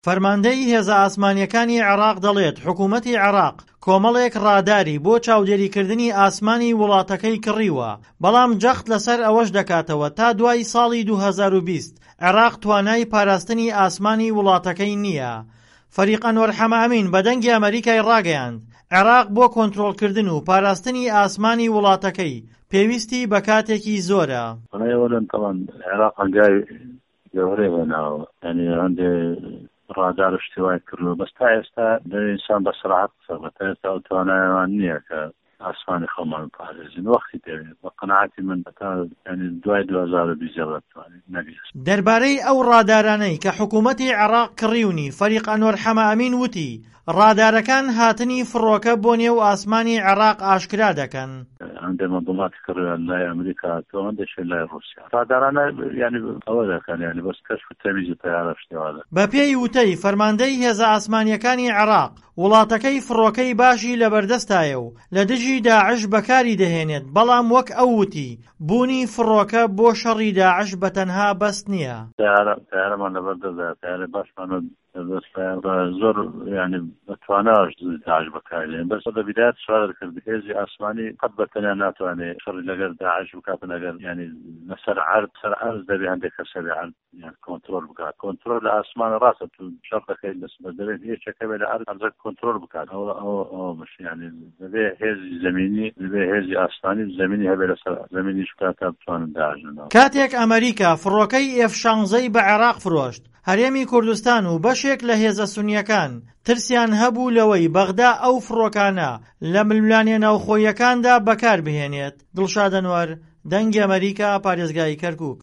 فەرماندەی هێزە ئاسمانییەکانی عێراق دەڵێت، حکومەتی عێراق کۆمەڵێک ڕاداری بۆ چاودێریکردنی ئاسمانی وڵاتەکەی کڕیوە، بەڵام جەخت لەسەر ئەوەش دەکاتەوە تا دوای ساڵی 2020 عێراق توانای پاراستنی ئاسمانی وڵاتەکەی نییە. فەریق ئەنوەر حەمەئەمین بە دەنگی ئەمەریکای ڕاگەیاند، عێراق بۆ کۆنترۆڵکردن و پاراستنی ئاسمانی وڵاتەکەی پێویستی بە کاتێکی زۆرە. عێراق هەنگاوی گەورەی هێناوە یانی هەندێ ڕادار و شتی وای کردووە بەس تا ئێستا دەوێ ئینسان بە سەراحەت قسە بکات تا ئێستا ئەو توانایەمان نییە کە ئاسمانی خۆمان بپارێزین وەختی دەوێ بە قەناعەتی من هەتا یانی دوای 2020 زیاتر بتوانین نەک ئێستا. دەربارەی ئەو ڕادارانەی کە حکوومەتی عێراق کڕیونی، فەریق ئەنوەر حەمەئەمین وتی، ڕادارەکان هاتنی فڕۆکە بۆ نێو ئاسمانی عێراق ئاشکرا دەکەن. هەندێک مەدوڵاتی کڕیوە لای ئەمریکا هاتووە هەندێکشی لای ڕووسیا ڕادارانە یانی ئەوە دەکەن یانی بەس کەشف و تەمیزی تەیارە شتی وا دەکەن. بەپێی وتەی فەرماندەی هێزە ئاسمانییەکانی عێراق، وڵاتەکەی فڕۆکەی باشی لەبەردەستایە و لە دژی داعش بەکاری دەهێنێت، بەڵام وەک ئەو وتی، بوونی فڕۆکە بۆ شەڕی داعش بە تەنها بەس نییە. تەیارە تەیارەمان لەبەردەستدایە، تەیارەی باشمان زۆر یانی بە تواناش داعش بەکاردێن بەس لە بیدایەت سوالت کرد هێزی ئاسمانی قەت بە تەنیا ناتوانێ شەڕی لەگەر داعش بکاتن ئەگەر یانی لەسەر عەرد سەر عەرز دەبێ هەندێک کەس هەبێ عەرد یان کۆنترۆل بکات کۆنترۆل لە ئاسمان ڕاستە تو شەڕ دەکەیت لەس بەس دەبێت یەکێک هەبێ لە عەرز عەرزەکە کۆنترۆل بکات ئەوە ئەوە ئەوە مش یانی دەبێ هێزی زەمینی دەبێ هێزی ئاسمانی و زەمینی هەبێ لەسەر زەمینیش بکات تا بتوانن داعش لەناو کاتێک ئەمەریکا فڕۆکەی ئێف شانزەی بە عێراق فرۆشت، هەرێمی کوردستان و بەشێک لە هێزە سونییەکان ترسیان هەبوو لەوەی بەغدا ئەو فڕۆکانە لە ململانێ ناوخۆییەکاندا بەکاربهێنێت. دڵشاد ئەنوەر، دەنگی ئەمەریکا، پارێزگای کەرکوک.